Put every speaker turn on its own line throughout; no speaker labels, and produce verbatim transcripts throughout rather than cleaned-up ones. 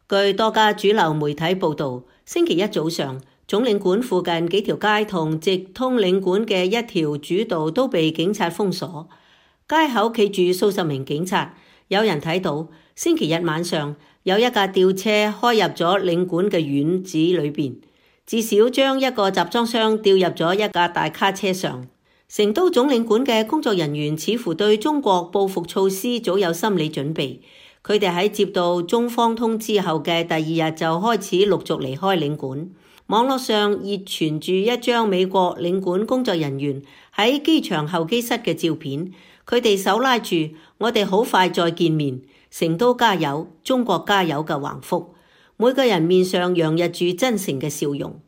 據多家主流媒體報道，星期一早上，總領館附近幾條街同直通領館嘅一條主道都被警察封鎖，街口企住數十名警察。有人睇到星期日晚上有一架吊車開入咗領館嘅院子裏邊，至少將一個集裝箱吊入咗一架大卡車上。成都總領館嘅工作人員似乎對中國報復措施早有心理準備，佢哋喺接到中方通知後嘅第二日就開始陸續離開領館。網絡上熱傳住一張美國領館工作人員喺機場候機室嘅照片，佢哋手拉住我哋好快再見面，成都加油，中國加油嘅橫幅，每個人面上洋溢住真誠嘅笑容。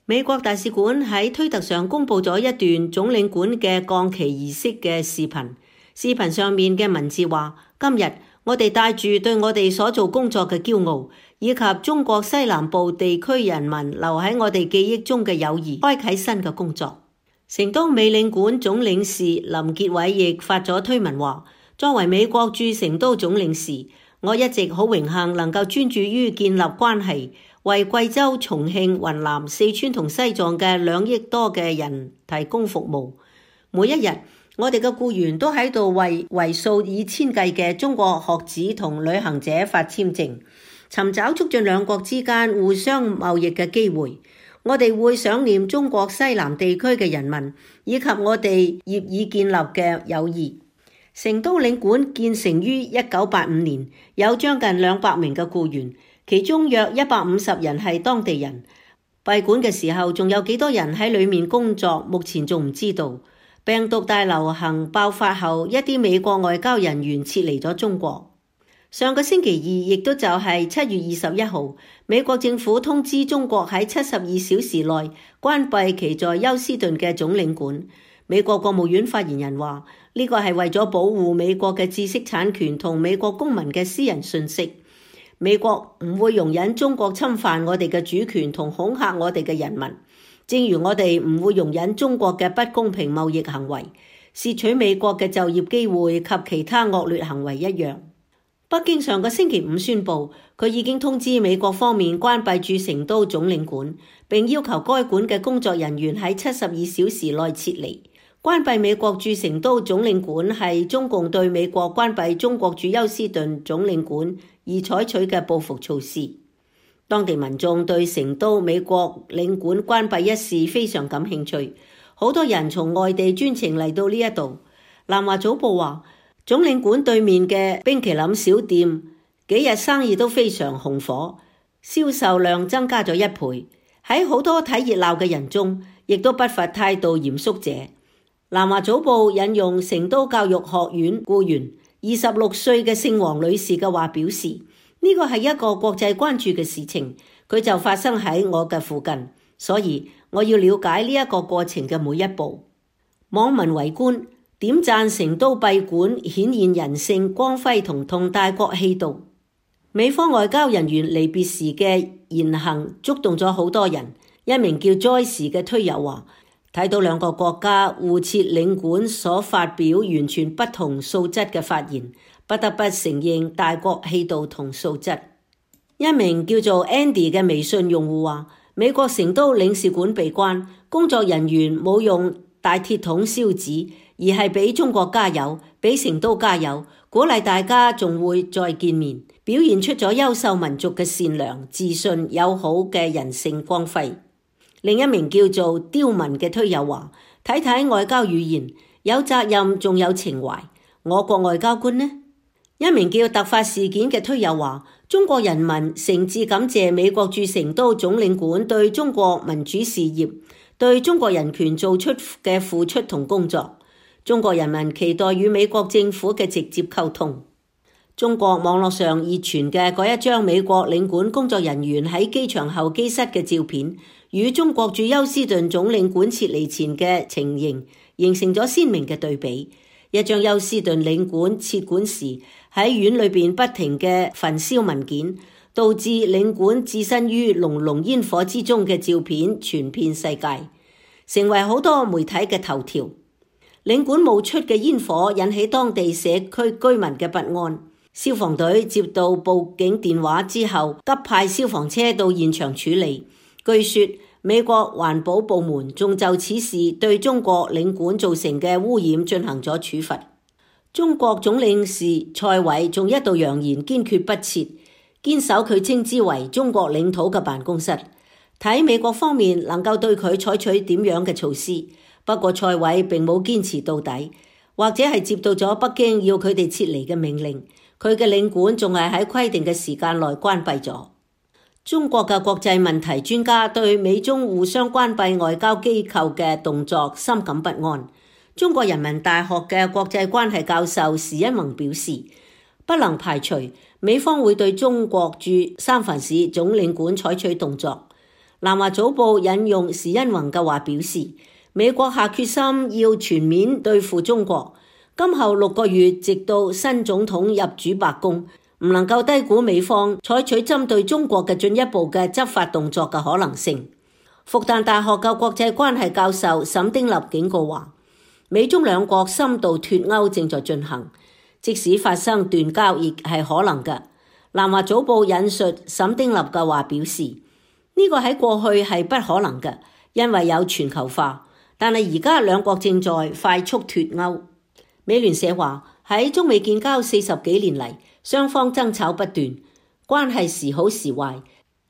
美國大使館喺推特上公布咗一段總領館嘅降旗儀式嘅視頻，視頻上面嘅文字話：今日我哋帶住對我哋所做工作嘅驕傲，以及中國西南部地區人民留喺我哋記憶中嘅友誼，開啟新嘅工作。成都美領館總領事林傑偉亦發咗推文話：作為美國駐成都總領事，我一直好榮幸能夠專注於建立關係，為貴州、重慶、雲南、四川同西藏嘅兩億多嘅人提供服務。每一日，我哋嘅僱員都喺度為為數以千計嘅中國學子同旅行者發簽證，尋找促進兩國之間互相貿易嘅機會。我哋會想念中國西南地區嘅人民，以及我哋業已建立嘅友誼。成都領館建成於一九八五年，有將近兩百名嘅僱員，其中約一百五十人係當地人。閉館嘅時候仲有幾多人喺裡面工作，目前仲唔知道。病毒大流行爆發後，一啲美國外交人員撤離咗中國。上個星期二，亦都就係七月二十一號，美國政府通知中國喺七十二小時內關閉其在休斯頓嘅總領館。美國國務院發言人話：呢個係為咗保護美國嘅知識產權同美國公民嘅私人信息。美國唔會容忍中國侵犯我哋嘅主權同恐嚇我哋嘅人民，正如我哋唔會容忍中國嘅不公平貿易行為、竊取美國嘅就業機會及其他惡劣行為一樣。北京上個星期五宣布，佢已經通知美國方面關閉駐成都總領館，並要求該館嘅工作人員喺七十二小時內撤離。關閉美國駐成都總領館係中共對美國關閉中國駐休斯頓總領館而採取嘅報復措施。當地民眾對成都美國領館關閉一事非常感興趣，好多人從外地專程嚟到呢一度。南華早報話，總領館對面嘅冰淇淋小店幾日生意都非常紅火，銷售量增加咗一倍。喺好多睇熱鬧嘅人中，亦都不乏態度嚴肅者。南華早報引用成都教育學院僱員二十六歲嘅姓黃女士嘅話表示，呢個係一個國際關注嘅事情，佢就發生喺我嘅附近，所以我要了解呢一個過程嘅每一步。網民圍觀點讚成都閉館顯現人性光輝同同大國氣度。美方外交人員離別時嘅言行觸動咗好多人。一名叫 Joyce 嘅推友話，睇到兩個國家互設領館所發表完全不同素質嘅發言，不得不承認大國氣度同素質。一名叫做 Andy 嘅微信用戶話，美國成都領事館被關，工作人員冇用大鐵桶燒紙，而係俾中國加油，俾成都加油，鼓勵大家仲會再見面，表現出咗優秀民族嘅善良、自信、友好嘅人性光輝。另一名叫做刁文嘅推友話，睇睇外交語言，有責任仲有情懷，我國外交官呢？一名叫突發事件嘅推友話，中國人民誠摯感謝美國駐成都總領館對中國民主事業、對中國人權做出嘅付出同工作，中國人民期待與美國政府嘅直接溝通。中國網絡上熱傳嘅嗰一張美國領館工作人員喺機場候機室嘅照片，與中國駐休斯頓總領館撤離前嘅情形形成咗鮮明嘅對比。一張休斯頓領館撤館時喺院裏邊不停嘅焚燒文件，導致領館置身於濃濃煙火之中嘅照片傳遍世界，成為好多媒體嘅頭條。領館冒出嘅煙火引起當地社區居民嘅不安。消防隊接到報警電話之後，急派消防車到現場處理。據說美國環保部門仲就此事對中國領館造成嘅污染進行咗處罰。中國總領事蔡偉仲一度揚言堅決不撤，堅守佢稱之為中國領土嘅辦公室，睇美國方面能夠對佢採取點樣嘅措施。不過蔡偉並冇堅持到底，或者係接到咗北京要佢哋撤離嘅命令，佢嘅領館仲係喺規定嘅時間內關閉咗。中國嘅國際問題專家對美中互相關閉外交機構嘅動作深感不安。中國人民大學嘅國際關係教授時殷弘表示，不能排除美方會對中國駐三藩市總領館採取動作。南華早報引用時殷弘嘅話表示，美國下決心要全面對付中國，今後六個月直到新總統入主白宮，唔能夠低估美方採取針對中國嘅進一步嘅執法動作嘅可能性。復旦大學嘅國際關係教授沈丁立警告話，美中兩國深度脫鈎正在進行，即使發生斷交亦係可能嘅。南華早報引述沈丁立嘅話表示，呢個喺過去係不可能嘅，因為有全球化，但係而家兩國正在快速脫鈎。美聯社話，喺中美建交四十幾年嚟，雙方爭吵不斷，關係時好時壞，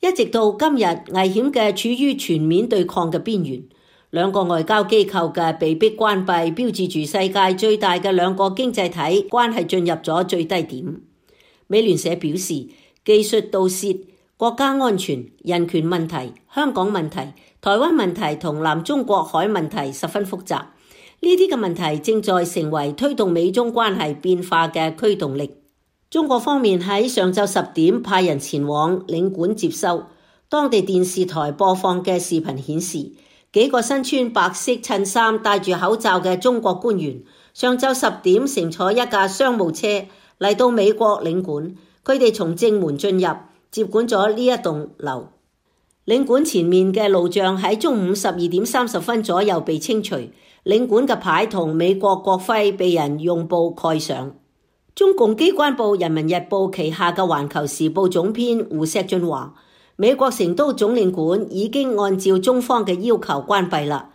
一直到今日危險嘅處於全面對抗嘅邊緣。兩個外交機構嘅被迫關閉，標誌住世界最大嘅兩個經濟體關係進入咗最低點。美聯社表示，技術盜竊、國家安全、人權問題、香港問題、台灣問題同南中國海問題十分複雜，呢啲嘅問題正在成為推動美中關係變化嘅驅動力。中國方面喺上晝十點派人前往領館接收，當地電視台播放嘅視頻顯示，幾個身穿白色襯衫、戴住口罩嘅中國官員，上晝十點乘坐一架商務車嚟到美國領館，佢哋從正門進入，接管咗呢一棟樓。領館前面嘅路障喺中午十二點三十分左右被清除，領館嘅牌同美國國徽被人用布蓋上。中共機關報《人民日報》旗下嘅《環球時報》總編胡錫進話，美國成都總領館已經按照中方嘅要求關閉啦，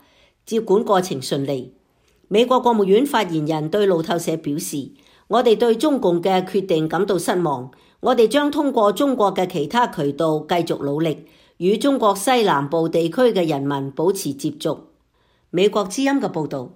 接管過程順利。美國國務院發言人對路透社表示，我哋對中共嘅決定感到失望，我哋將通過中國嘅其他渠道繼續努力，與中國西南部地區嘅人民保持接觸。美國之音嘅報導。